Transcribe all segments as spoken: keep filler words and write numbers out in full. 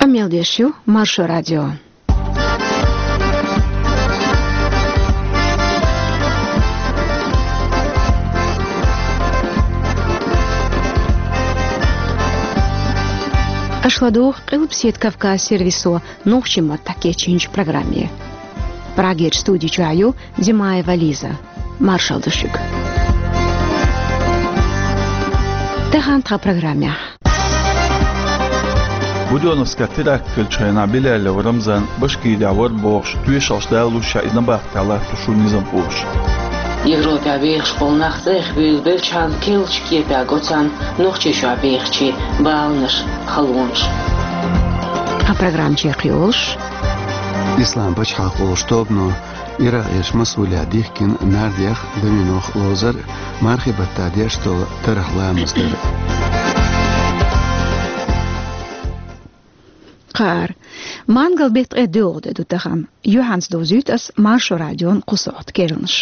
Къамел деш ю Маршо радио. Аша ладугӀу Къилбаседа Кавказ сервисо нохчийн маттахь кечйинчу программе. Прагерчу студи чохь ю Димаева Лиза. Маршалла ду шуьга. Тахана тхан программехь. Будённовскехь теракт хиллачу хенахь Билялов Рамзан Башкирехь вара бохуш, тоьшаллаш далалуш ша иза набахтехь латтош ву низамхоша. Европехь вехаш болу нах цӀа бевлла белчхьана керлачу кепехь го царна Нохчийчохь бехачийн баланаш, халонаш. Тхан программа чекхйолуш. Ислам пачхьалкх олучу тобано Иракъерчу Масулехь дихкина нардех а, доминох а ловзар а, мархин баттахь деш долу тарх ламаз дар а. Кхара. Мангал-беттан ткъе доьалгӀа де ду тахана. Юьхьанца довзуьйту ас Маршо радион кху сохьта керланаш.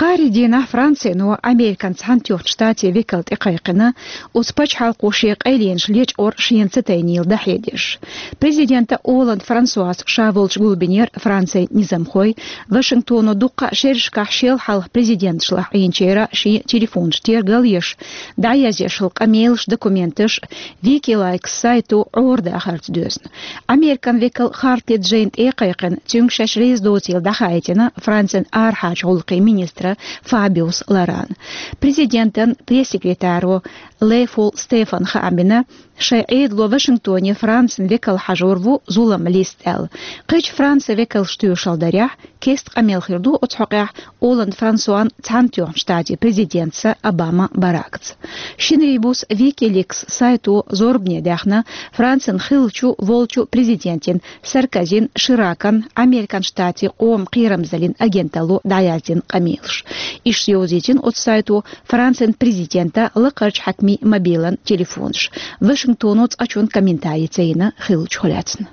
Кхаарин дийнахь Францино Американ Цхьаьнатоьхначу Штатийн векал тӀекхайкхина, оцу пачхьалкхо шен къайленаш лечкъор шена ца тайнийла дӀахьедеш. Президента Олланд Франсуас ша волчу гулбинера Францин низамхой Вашингтоно дуккха а шерашкахь шел хьалха президенташлахь Ӏийначеран шен телефонаш тергал еш, дӀаязъеш йолу къамелаш, документаш Wikileaks сайто Ӏорадахарца доьзна. Американ векал харц ледза жайна тӀе а кхайкхина, цуьнга шаьш реза доцийла дӀахаийтина Францин арахьарчу гӀуллакхийн министра Фабиус Лорана. Президентан пресс-секретаро Ле Фол Стефана хаам бина, шайн Ӏедало Вашингтоне Францин векал хьажор ву зулам листа аьлла. Кхечу Францин векалш тоьшалла дарехь, кеста къамел хир ду оцу хьокъехь Олланд Франсуан Цхьаьнатоьхначу Штатийн президентца Обама Баракца. Шинарин буса Wikileaks сайто зорбане даьхна Францин хиллачу, волчу президентийн Саркозин, Ширакан, Американ Штатийн къоман кхерамзаллин агенталло дӀаяздина къамелаш. Иштта йовзийтина оцу сайто Францин президентан, лакхарчу хьаькамийн мобилан телефонаш. Вашингтоно цкъачунна комментари ца йина хиллачух лаьцна.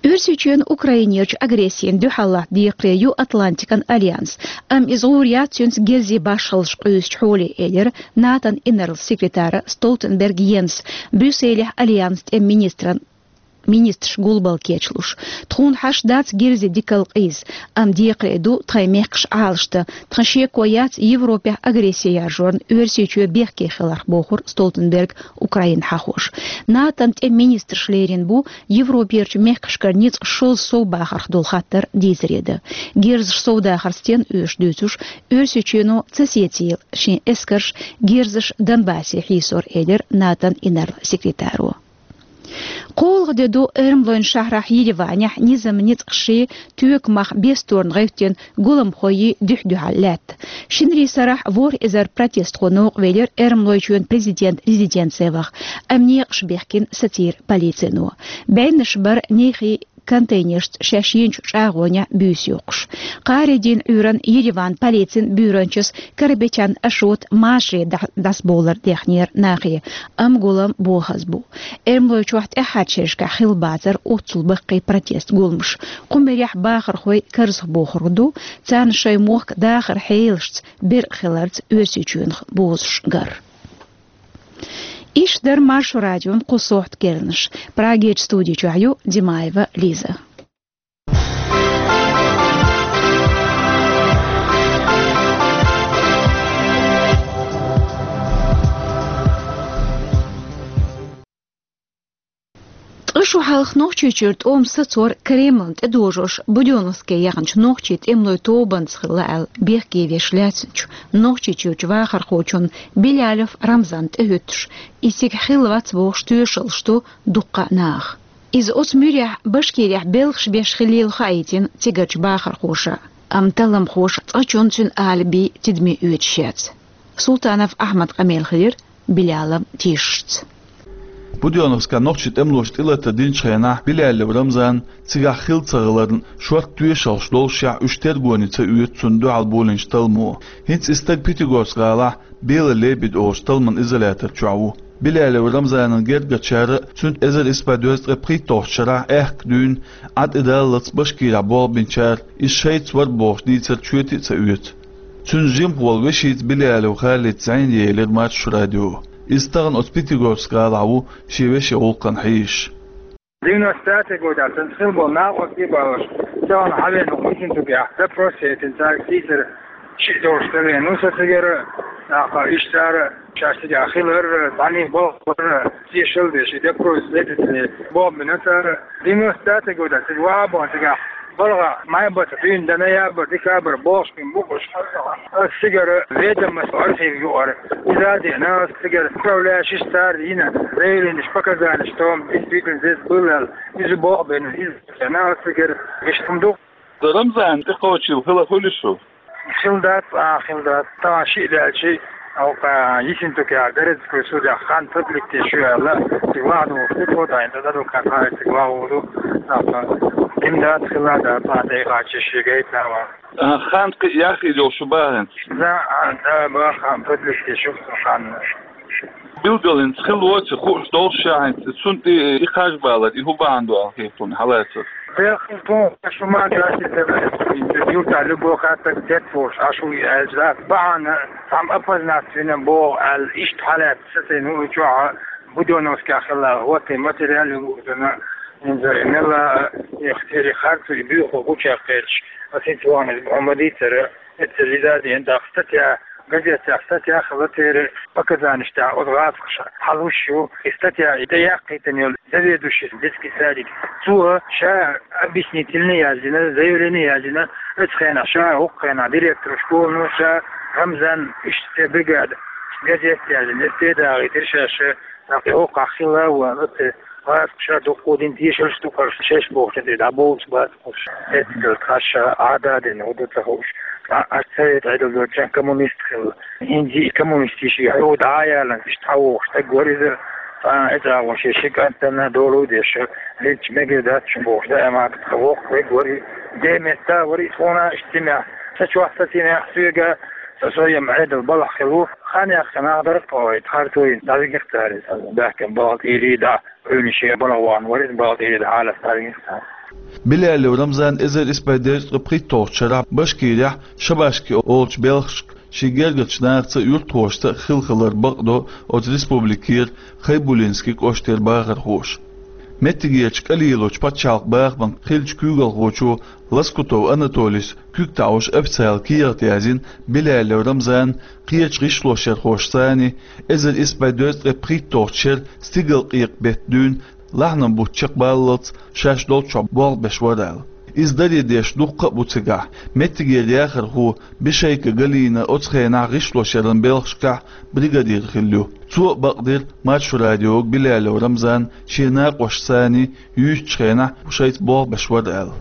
Оьрсийчоьнан Украинерчу агрессина дуьхьал латта декхаре ю Атлантикан альянс, амма иза гӀур яц цуьнца герзийн башхаллаш къуьйсучу хьоле, элира НАТОн инарла секретара Столтенберг Йенса Брюсселехь альянсан тӀеман министран министраш гулбалла кечлуш. Тхуна хьашт дац герзийн дикалла къийса, амма декхаре ду тхайн мехкаш Ӏалашдан. Тхан шеко яц Европехь агресси яржорна Оьрсийчоь бехке хиларх, бохура Столтенберг Украина хьахош. НАТОн тӀеман министраша лерина бу Европерчу мехкашкара ницкъ шозза совбахарх долу хаттар дийцаре дан. Герзаш совдахар стенна оьшу дуьйцуш, Оьрсийчоьно ца сецийла шен эскарш герзаш Донбассе хьийсор, элира НАТОн инарла секретаро. КхоалгӀа де ду эрмалойн шахьарахь Ереванехь низаман ницкъашийн, тоькамах бесторна гӀевттина гуламхойн дуьхь-дуьхьал лаьтта. Шинарин сарахь ворхӀ эзар протестхо новкъа велира Эрмалойчоьнан президентан резиденце ваха, амма некъаш бехкина сацийра полицино. БӀеннаш бара нехий контейнершца шаьш йинчу чӀагӀонехь буьйса йоккхуш. Кхаарин дийнан Ӏуьйранна Ереванан полицин буьйранчас Карабетян Ашота машаре дӀа-, дӀасабовлар дехнера нахе, амма гулам бохаза бу. Эрмалойчохь тӀаьххьарчу шерашкахь хилла бацара оццул баккхий протест гуламаш. Кху мерехь бахархой карзахбохург ду, царна шайн мохк дахаран хьелашца беркъа хиларца Оьрсийчоьнах бозуш гар. Иштта дара Маршо радион кху сохьта керланаш. Прагерчу студи чохь ю Димаева Лиза. Ткъа шу хьалха Нохчийчуьра тӀом сацор Кремлна тӀедожош Будённовске яханчу нохчийн тӀемалойн тобанца хилла аьлла бехке веш лаьцначу Нохчийчуьрчу вахархочунна Билялов Рамзанна тӀехӀуьттуш, иза цига хилла вац бохуш тоьшаллаш ду дуккха а наха. Иза оцу муьрехь Башкирехь белхаш беш хиллийла хаийтина цигарчу бахархоша, амма талламхоша цкъачунна цуьнан алиби тидаме оьцуш яц. Султанов Ахьмадан къамел хилира Биляловн тешашца. Будённовскан нохчийн тӀемалоша тӀелатар динчу хенахь Билялов Рамзанна цигахь хилла ца хиларна шорта тоьшаллаш доллушехь, уьш тергоне ца оьцу цунна дуьхьал болийначу талламо. ХӀинца и стаг Пятигорск-гӀалахь Белый лебедь олучу талламан изолятор чохь ву. Билялов Рамзанан гергарчара а, цуьнца эзар исс бӀе дезткъе пхийтталгӀачу шарахь аьхка дуьйна Ӏад-Ӏедаллаца Башкирехь болх бинчара, иза шайца вара бохуш дийцар чоьте а ца оьцу. Цуьнан жимахволу вешица Билялов Халида зӀене елира Маршо радио. Иза тахана оцу Пятигорск-гӀалахь ву шен вешин гӀуллакхана хьийзаш. Девяносто пятый годехь цуьнца хилла болу накъостий а балош, тахана хьавеана ву Ессентукехь, допрос яйтина цаьрга, сийсара шиъ долуш ца веана ву со цигара, тӀаккха иштта цара шаьш цигахь хилар, цхьаьний болх бара, тешалла деш, и допрос следователей болх бина цара. Девяносто пятый годехь цига ваха а бохна цигахь, балха май баттахь дуьйна дан, ноябрь, декабрь бохуш бина бу уьш. Ас цигара ведомость архив юкъара иза а деана, ас цигара управляющий цара йина заявленеш, показанеш, что он действительно здесь был аьлла, иза болх бина, иза деана ас цигара, иштта хӀума ду. Рамзан тӀекхочийла хила хуьлу шу? Хила дац, а, хила дац. Тахана шиъ даьлча, оха Ессентукехь, Дарецкий судехь хан подлежит ю аьлла, цига ваха духуш ду, тхо дайна, тӀаккха адвокат хьаьжча цига ваха а ду. ТӀаккха дина дац, хила дац, а, тӀе а кхаччалц шен гайта а ван. А, хан кхин а яхйина йолуш ю бахьана? Да, а, да, баха, подлежит ю хан. Билгалонца хила воций хууш долуш ша хӀинца, цунна тӀе и кхаж балар, и хӀун бахьана ду аьлла хета хьуна, хьалацар? Делахь хӀинца тхуна шу ма гаши, юртахь любой хаттар тетта волуш, Ӏаш ву и аьлча дац. Бахьана цхьамма опознаться вина боху аьлла, иштта хьалаьцна сацийна ву и чохь, Будённовскехь хилла, вот и материал ю, хӀинца и мелла, и, и харцо, и буьйхо гучуяьккхича, аса хӀинца вахана иза боху ма дийцара. Эццара иза а деана, тӀаккха статья, газетехь статья хилла церан показанеш тӀехь, оцу гӀазкхаша хьалуш ю, и статья, и тӀеяккхийтина йолу заведующий детский садик. Цо ша объяснительный яздина, заявление яздина, оцу хенахь ша, хӀокху хенахь директор школано ша, Рамзан, иштта церан бригада, газет яздина, эццара дагӀийтира ша, ша, тӀаккха хӀокхахь хилла а ву, оцу гӀазкхаша дуккха а дина, тешаллаш ду-кх уьш, шаьш бохучу тӀе дӀабовлуш бац. Эццахь тхаьш Ӏададина хӀун ду ца хууш. Ткъа аша совет Ӏедал долчохь коммунист хилла. ХӀинца и коммунистийн шен хьу дӀа а ялланца, иштта хьан вохуш стаг вара иза. Ткъа эццахь вон шен ши кӀантана долу а деш, хӀинца мегар дац шун бохуш, даимат тхан воккха вег вара и. Де метта вара и тхуна иштта цӀинехь. Са чохь ца цӀинехь соьга, сан соем Ӏедал балахь хилла ву. Хан яьккхина нах дара тхо, и тхарцойн дӀавигира цара иза. Баьхкина балтӀийрий дӀа. Уьйна шен балха вахана вара иза, балтӀийрий дӀа хьалаца дӀавигира цара. Билялов Рамзан эзар исс бӀе дезткъе пхийтталгӀачу шарахь Башкирехь Шабашки олучу белхашка шен гергарчу нахаца а, юьртахошца а хилла хилар бакъдо оцу республикера Хайбулинский кӀоштара бахархоша. Меттигерчу КӀалилочу пачхьалкхан бахаман хиллачу куьйгалхочо Лоскутов Анатолийс куьг таӀош официалан кехат яздина Билялов Рамзана кхечу гӀишлошъярхошцани, эзар исс бӀе дезткъе пхийтталгӀачу шеран стигалкъекъа беттан дуьйна лахьанан бутт чекхбаллалц шаьш долччохь болх беш вара аьлла. Иза даре деш дуккха а бу цигахь. Меттигера яхархо Бишейко Галина оцу хенахь гӀишлошъяран белхашкахь бригадир хилла ю. Цо а бакъдира Маршо радиога Билялов Рамзан шен накъосташцани юьйцучу хенахь шайца болх беш вара аьлла.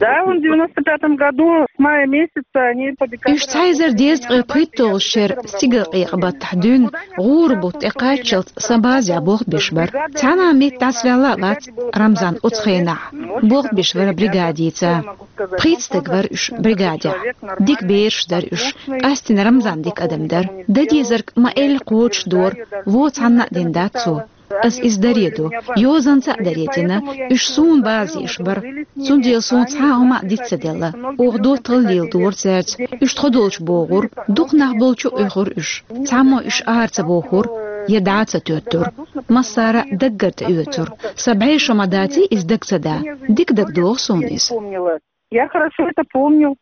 Да, он в девяносто пятом году с мая месяца они по декабрь. Уьш цхьа эзар дезткъе пхийтталгӀачу шеран стигалкъекъа баттахь дуьйна гӀура бутт тӀекхаччалц сан базехь болх беш бара. Цхьана а метта дӀасаваьлла а вац Рамзан оцу хенахь. Болх беш вара бригадица. Пхийтта стаг вара уьш бригадехь. Дика бераш дара уьш. Къаьстина Рамзан дика адам дара. Дан дезарг ма-элла кхочушдора, вон цхьанна а дина дац цо. Ас иза даре ду. Йозанца а даре дина. Уьш суна база еш бара. Цундела суна цхьа а хӀума а диц ца делла. Оха доттагӀалла леладора цаьрца. Уьш тхо долчу богӀура. Дукха нах болчу а оьхура уьш. Цхьаммо уьш ара ца бохура, я дӀа а ца тоьттура. Массара а даггара тӀеоьцура. Сан бӀе шо ма даций иза дага ца дан. Дика дагадогӀу суна иза. Я хорошо это помню.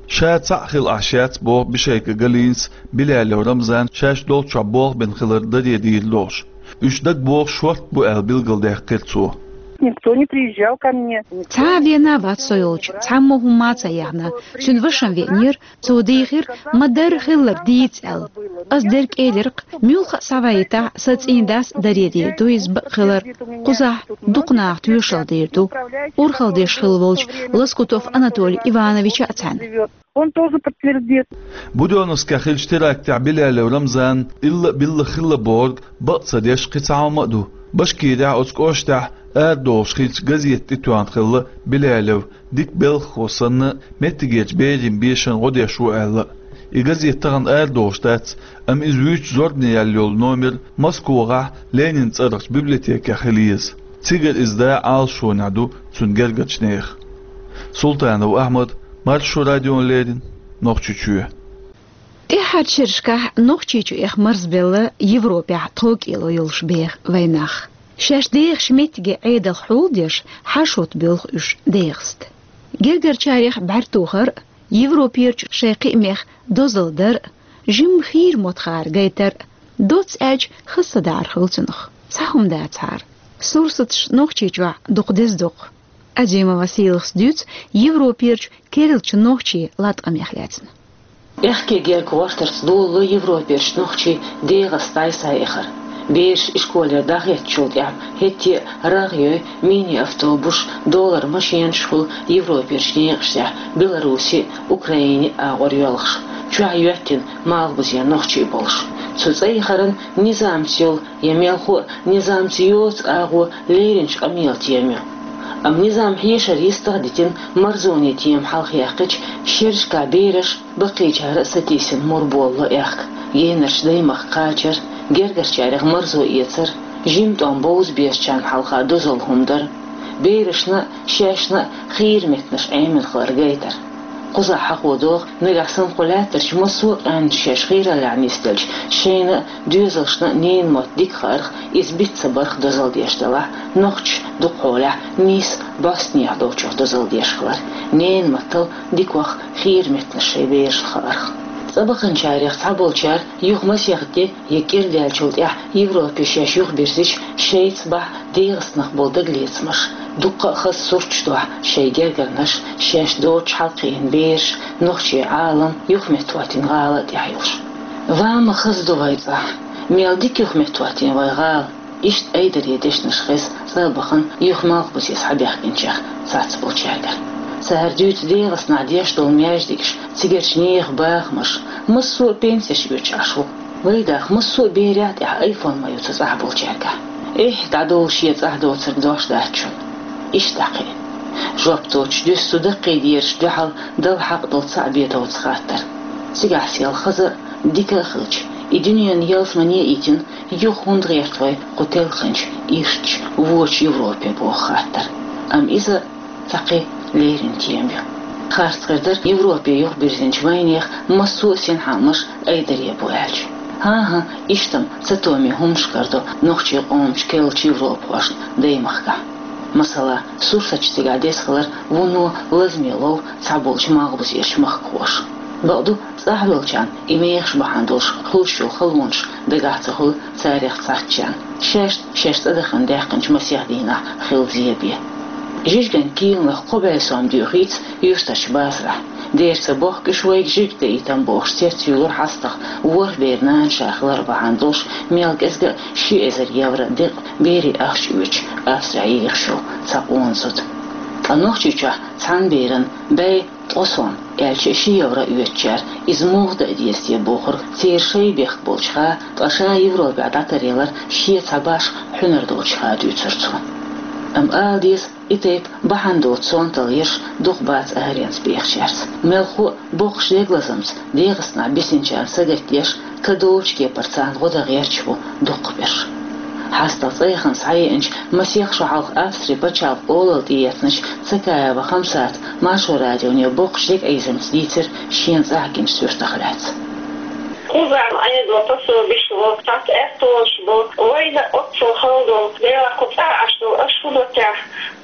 Ша цхьаъ хила Ӏаш яц, боху Бишейко Галинас, Билялов Рамзан шаьш долччохь болх бина хилар даре дийр долуш. Уьш дагабогӀуш шортта бу аьлла билгалдаьккхира цо. Никто не приезжал ко мне. Цхьа а веана а вац со йолчу, цхьаммо хӀумма а ца яьхна. Цуьнан ваша веанера, цо дийхира, ма-дарра хилларг дийца аьлла. Ас дерг элира-кх, муьлхха а схьавайтахь, сан цӀийндас даре дийр ду иза бакъ хилар. Кхузахь дукха наха тоьшалла дийр ду. Урхалла деш хилла волчу Лоскутов Анатолий Ивановича а цхьаьна. Он тоже подтвердит. Будённовскехь хиллачу терактехь Билялов Рамзан илла а билла хилла бохург бакъ ца деш кхин цхьа хӀума а ду. Башкирехь оцу кӀоштехь арадолуш хиллачу газетан тӀетоьхна хилла Билялов, дика белхахо санна, меттигерчу берийн бешан гӀо деш ву аьлла. И газет тахана арадолуш дац, амма иза вуьйцу зорбане яьлла йолу номер Москвахь Ленинан цӀарахчу библиотекехь хила еза. Цигара иза да Ӏалашонехь ду цуьнан гергарчу нехан. Султанов Ахьмад, Маршо радиона леррина, Нохчийчоь. ТӀаьххьарчу шерашкахь Нохчийчу эха марзбелла Европехь тхов-кӀело йолуш беха вайнах. Шаьш дехачу меттиге Ӏедалх хьулдеш, хьашут боьлху уьш ДегӀаста. Гергарчарех бӀаьртохар а, Европерчу шайн кхиамех дозалла дар а, жимма хийра моттахара гайтар а, доцца аьлча, хаза ца даар хуьлу цунах. Цхьа хӀума дацахьара. Сурсаташ Нохчийчохь дукха деза доккху. Азимова Сийлахас дуьйцу Европерчу керлачу нохчийн латкъамех лаьцна. Аьхке герга гӀортарца долало Европерчу нохчийн ДегӀаста дӀасаэхар. Бераш ишколера дӀахӀоьттичул тӀаьхьа хӀетте а рагӀ йой, мини-автобусаш, долара машенаш хуьлу Европерчу некъаштехь Беларуси а, Украини а агӀор йоьлхуш, чохь йоьттина малхбузен нохчий болуш. Цу цӀа яхаран низамца йолу я мелхо а низамца йоцу агӀо леринчу къамелан тема ю. Амма низам хьешар йистах а дитина, марзонийн тема хьалха яьккхича, шерашкахь бераш, баккхийчара а сатийсина мур болало аьхка, генарчу даймахка кхачар, гергарчарех марзо эцар, жима тӀом бовза безачарна хьалха дозалла хӀума дар, берашна а, шаьшна а хийра меттанаш Ӏемина хилар гайтар. Кхузахь хьахо догӀу, нагахь санна кху лаьттарчу массо а къаьмнаш шаьш хийраллехь нисделча, шайна а, доьзалшна а ненан мотт дика хаарх, иза биц ца барх дозалла деш делахь, нохчаша дукхахьолехь нийса бӀостанехьа долчух дозалла деш хилар, ненан маттал дикох хийра меттанаш шайн берашна хаарх. ЦӀа баханчарех цхьаболчара юха масех де я кӀира даьллачул тӀаьхьа Европе шаьш юхабирзича, шайца бахьа ДегӀастанах болу дагалецамаш, дуккха а хаза сурташ дохьу шайн гергарнаш, шаьш доцуш хьалакхиъна бераш, нохчийн Ӏалам юхаметтахӀоттийна гӀала а тӀехь йолуш. Ва ма хаза ду вай цӀахь, мел дика юхаметтахӀоттийна вай гӀала, иштта айдаре дешнаш хеза цӀа а бахана юха малхбузе схьабаьхкинчех цхьацболчаьргара. Цара дуьйцу ДегӀастанахь деш долу маьждигаш, цигарчу нехан бахамаш, массо а пенсеш оьцуш Ӏаш ву. Вайгахь массо а берех тӀехь айфон ма ю цу цӀахь болчаьргахь. Эхь, дӀадолу шен цӀахь доцург дош дац шуна. Иштта дӀакхиъна. Жоп доцуш дуьсу цу даккхийдераш дуьхьал дала хьакъ долу цхьаъ бетовца хаттар. Цигахь сел хаза а, дика а хилча, и дуьненан ялсамане а йитина, юха хӀунда гӀерта вай кху телхинчу ирчча, вочу Европе боху хаттар. Амма иза цхьа кхин лерина тема ю. Харц хир дара Европе юхабирзинчу вайнехан массо а синхьаамаш айдаре бу аьлча. ХӀан-хӀа, иштта-м цатоме хӀуманаш карадо нохчийн къоман керлачу европахошна даймахкахь. Масала, сурсаташ цигахь деза хилар вуно лазаме лову цхьаболчу малхбузерчу махкахоша. Бакъду, цӀахь долчарна и мехаш бахьана долуш хуьлуш йолу халонаш дагахь ца хуьлу царех цхьаьнакхетарна. Шаьш, шаьш цӀа дахана даьккхинчу масех дийнахь хилла зен бен. Жижиган кийланах кхо бӀе сом доьхуьйту юьртарчу базарахь. Дера ца бохку уьш вайга жижиг даийтина бохуш, цецйуьйлура хьастагӀа ворхӀ беран нана ша хилар бахьана долуш, мел кӀезга а ши эзар евро декъа берийн ахча оьцуш Австрехь ехаш йолу цхьа къона зуда. Ткъа Нохчийчохь цхьана берана бӀе ткъа сом, аьлча а ши евро оьцучара иза муха дан а деза те бохург церан шайн бехк болчуха, ткъа ша Европехь дӀатаръялар шен цхьа башха хьуьнар долчуха дуьйцура цо. Амма ала деза, и тайпа бахьана доцу сонталла еш дукха бац аренца бехачаьрца. Мелхо а боккхачу дегалазамца ДегӀастанахь бисинчарна сагатдеш, кадолчу кепара царна гӀо дан гӀерташ бу дукхахберш. ХьастагӀа цӀа яхана схьаеанчу, масех шо хьалха Австрин пачхьалкхан олалла тӀеэцначу Цакаева Хамсата Маршо радионе боккхачу дегӀайзамца дийцира шена цӀахь гинчу суьртах лаьцна. Кхузахь Ӏедалан пособиш бу, цхьацца аьттонаш бу, вайна оццул хала долу, делахь кху цӀахь Ӏаш долу аша хӀун до техьа,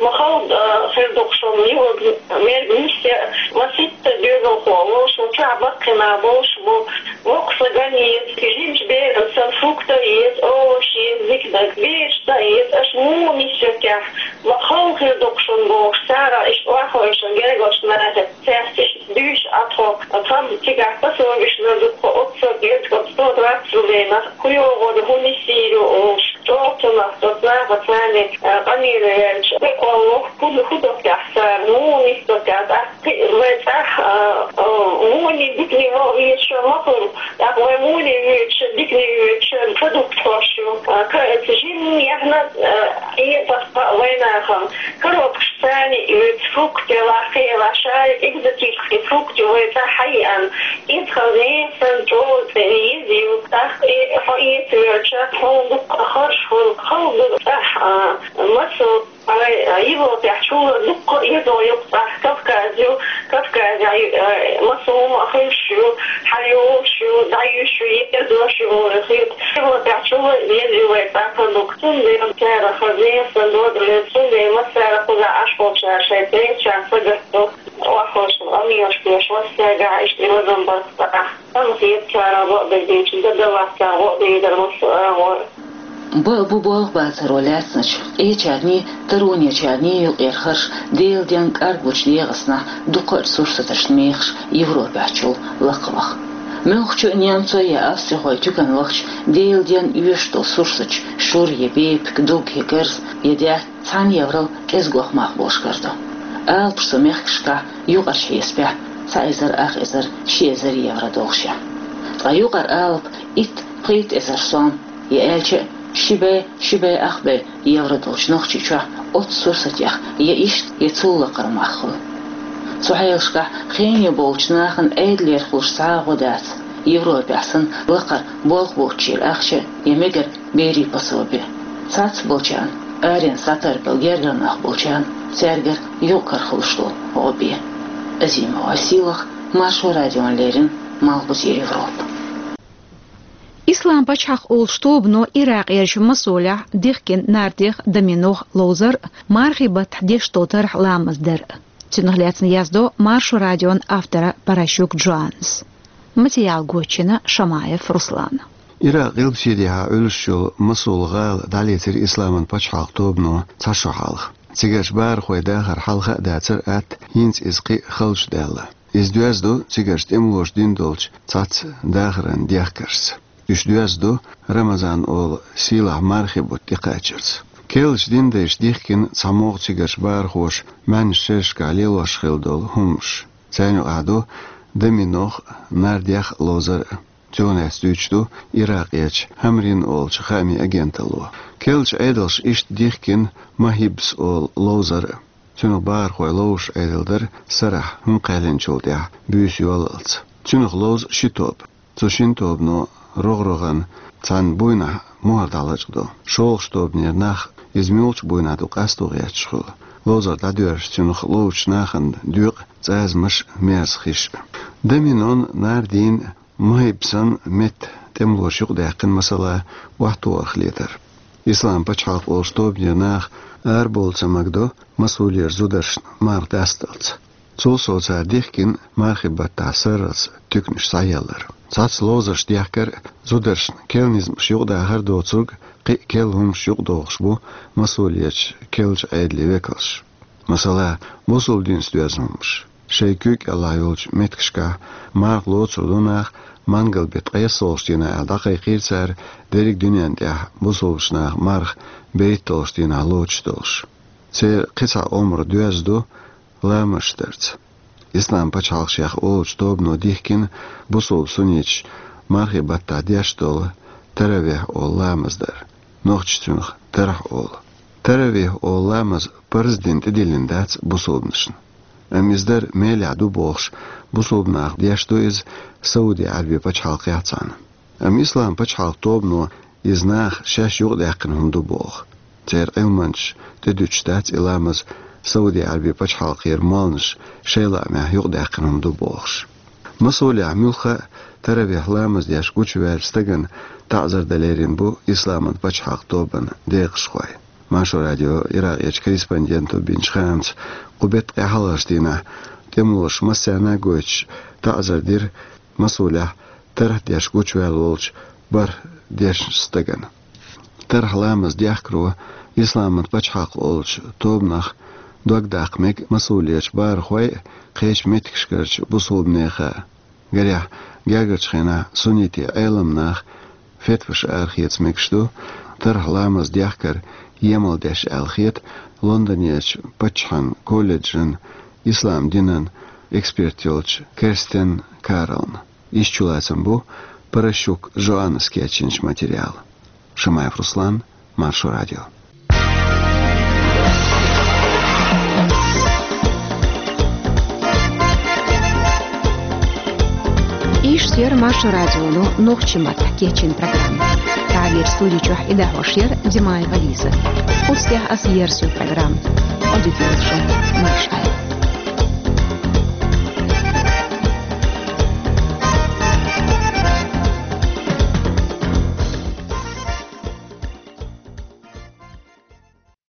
ма хала, а, хир ду-кх шуна, юург, мерг нисъян, ма ситтар доьзалхо волуш ву, чохь баккхий нах болуш бу, воккха са ган еза, жимачу берана санна фрукт а еза, овощ еза, дика дага, бераш дан еза, аша муха нисъян техьа, ма хала хир ду-кх шуна бохуш, цара иштта охьахевшина гергарчу нахе. Цаьрца иштта дуьйцуш Ӏа тхо, тхан цигахь пособиш лазу тхо оццул гезга сто двадцать рублей нах, кху йогӀур хӀун нисйийр ю олуш, чӀогӀа цунах, оцу нахаца царна, а, къамеле ваьлча, декъал воху, хӀун, хӀун до техьа цара, муха нисдо техьа, тӀаккха кхин вай цӀахь, а, а, муха дикане ваха везаш ма хуьлу, тӀаккха вай муха воьдуш, дикане воьдуш, продукт хьош ю, а, ка-, жимма яхна, а, Ӏе-, тӀаккха вайнахана. Коробкаш царна оьцу фрукт делахь, кхелахь, шаьш экзотический фрукт вай цӀа хьаеана. Иза хаза нехан санна чӀогӀа цӀена еза ю. ТӀаккха и хьо эца воьлча, хьуна дуккха а харж хуьлу, хала ду цӀахь, а, массо а вай, а, Европехь чула дуккха а еза ю, цхьа Кавказ ю, Кавказехь, э, массо а хӀума а хуьлуш ю, хьайолуш ю, дӀаюьйш ю, еза дош ю бохург хета. Европехь чула еза ю вайн цхьа продукт. Цундела цара хаза еза сан дода леза, цундела массара кхузахь Ӏаш болчара шайн цӀерачарна сагатдо, охьахуьлуш, къамелаш беш, массаьргахь иштта и вазам барт цхьа. Хан хетачара гӀо а дезийча, дан даллалц цара гӀо а дезара массо а агӀор. Бакъ бу болх бацаро лаьцначу къечарний, таронечарний юкъера хӀорш Делан денна кӀарглучу дегӀаснахь дукхачу сурсаташна мехаш Европехь чул лакхаваха. Муьлххачу а немцойн я австрихойн туьканна вахча Делан денна оьшуш долу сурсаташ шура я бепиг, дог я гарза я даьтта цхьана еврал кӀезигох мах болуш карадо. Алапаш цу мехкашкахь юкъарчу хьесапехь цхьа эзар ах эзар, ши эзар евро долуш я. Ткъа юкъара алапа итт, пхийтта эзар сом, я аьлча а ши бӀе, ши бӀе ах бӀе евро долчу Нохчийчохь оццу сурсатех я иштта, я цул лакхара мах хуьлу. Цу хьелашкахь хене болчу нахана Ӏедалера хуьлуш цхьа а гӀо дац, Европехь санна лакхара болх боцчеран ахча я мегар берийн пособи. Цхьацца болчарна, аренца дӀатарбелла гергара нах болчарна, цаьргара юкъ-кара хуьлуш долу гӀо бен. Азимова Сийлаха, Маршо радиона леррина, Малхбузера Европа. Ислам пачхьалкх олучу тобано Иракъерчу Масулехь дихкина нардех, доминох ловзар а, мархийн баттахь деш долу тарх ламаз дар а. Цунах лаьцна яздо Маршо радион автора Паращук Джоаннас. Материал гочйина Шамаев Руслана. Иракъ гӀилбаседехьа Ӏуьллуш йолу Масул-гӀала дӀалецира Исламан пачхьалкх тобано цхьа шо хьалха. Цигарчу бахархойн дахар хьалха а дацара атта, хӀинца иза кхин а халчу даьлла. Иза доьзна ду цигарчу тӀемалоша дина долчу цхьацца дахаран дехкаршца. Уьш доьзна ду Рамазан олу сийлахь мархийн бутт тӀекхачарца. Керлачу динан дайша дихкина цхьамогӀа цигарчу бахархоша маьӀначу шерашкахь лелош хилла долу хӀуманаш. Царна юкъахь ду доминох а, нардех а ловзар а. Цунах лаьцна дуьйцуш ду Иракъерчу Хамрин олучу хаамийн агенталло. Керлачу Ӏедалша иштта дихкина Махибс олу ловзар а. Цунах бахархой ловзуш Ӏедал дара Сарахь, хӀума кхаьллинчул тӀаьхьа буьйса йоллалц. Цунах ловзу ши тоба. Цу шина тобано рогӀ-рогӀана цхьана буйнахь мухӀар дӀалачкъадо. ШолгӀачу тобанера нах, иза муьлхачу буйнахь ду къасто гӀерташ хуьлу, ловзар дӀадоьрзуш, цунах ловзучу нахана доькъу цӀазамаш а, мерза хиш а. Доминон, нардин а, Махибсан метта тӀемалоша юкъадаьккхина, масала, охьатохарх летар. Ислам пачхьалкх олучу тобанера наха арабовла ца магадо Масулера зударшна марха дасталц. Цул сов цара дихкина мархийн баттахь сарралц туьканаш схьаеллар. Цхьацца ловзарш дехкар а, зударшна керла низамаш юкъадахар а доцург, кхин а керла хӀуманаш юкъадохуш бу Масулерчу керлачу Ӏедалан векалш. Масала, бусалба динца доьзна хӀуманаш. Шайн куьг кӀелахь йолчу меттигашкахь марха лоцур ду наха, мангал-беттан ткъайоьссалгӀачу дийнахь аьлла дӀакхайкхийра цара, дерриг дуьненна тӀехь бусалбачу наха марха берхӀитталгӀачу дийнахь лоцуш долуш. Церан кхин цхьа омра доьзна ду ламазаш дарца. Ислам пачхьалкх шех олучу тобано дихкина бусалба сунниташа мархийн баттахь деш долу таравих олу ламаз дар. Нохчаша цунах тархьа олу. Таравих олу ламаз парз дина тӀедиллина дац бусалбанашна. Амма иза дар мелехь ду бохуш, бусалба наха деш ду иза Сауди-Ӏаьрби пачхьалкхехь цхьаьна. Амма Ислам пачхьалкх тобано иза наха шаьш юкъадаьккхина хӀума ду боху. Церан Ӏилманчаша тӀедуьтуш дац и ламаз Сауди-Ӏаьрби пачхьалкхера молланаша шайн лаамехь юкъадаьккхина хӀума ду бохуш. Масулехь муьлхха а таравих ламаз деш гучуваьллачу стагана таӀзар дан лерина бу Исламан пачхьалкх тобанан декъашхой. Маршо радион Иракъерчу корреспонденто бинчу хаамца, кху беттан ткъе хьалхарчу дийнахь тӀемалоша массарна а гойтуш таӀзар дира Масулехь тархьа деш гучуваьлла волчу бархӀ дешначу стагана. Тархьа ламаз дехкаро Исламан пачхьалкх олучу тобанах дог даккха мега Масулерчу бахархойн а, кхечу меттигашкарчу бусалба нехан а. Гарехь, гергарчу хенахь суннитийн Ӏеламнаха фетваш арахеца мегаш ду тархьа ламаз дехкар емал деш аьлла хета Лондонерчу паччахьан колледжан ислам динан эксперт йолчу Керстен Карлна. Иштта чулацам бу Паращук Жоаннас кечйинчу материалан. Шамаев Руслан, Маршо радио. Иштта яра Маршо радионо нохчийн маттахь кечйина программа. Цара Вай студи чу и дӀахьош яр Димаева Лиза. Цу тӀехь ас ерзаю программа. Ӏодика йойла шун, маршалла.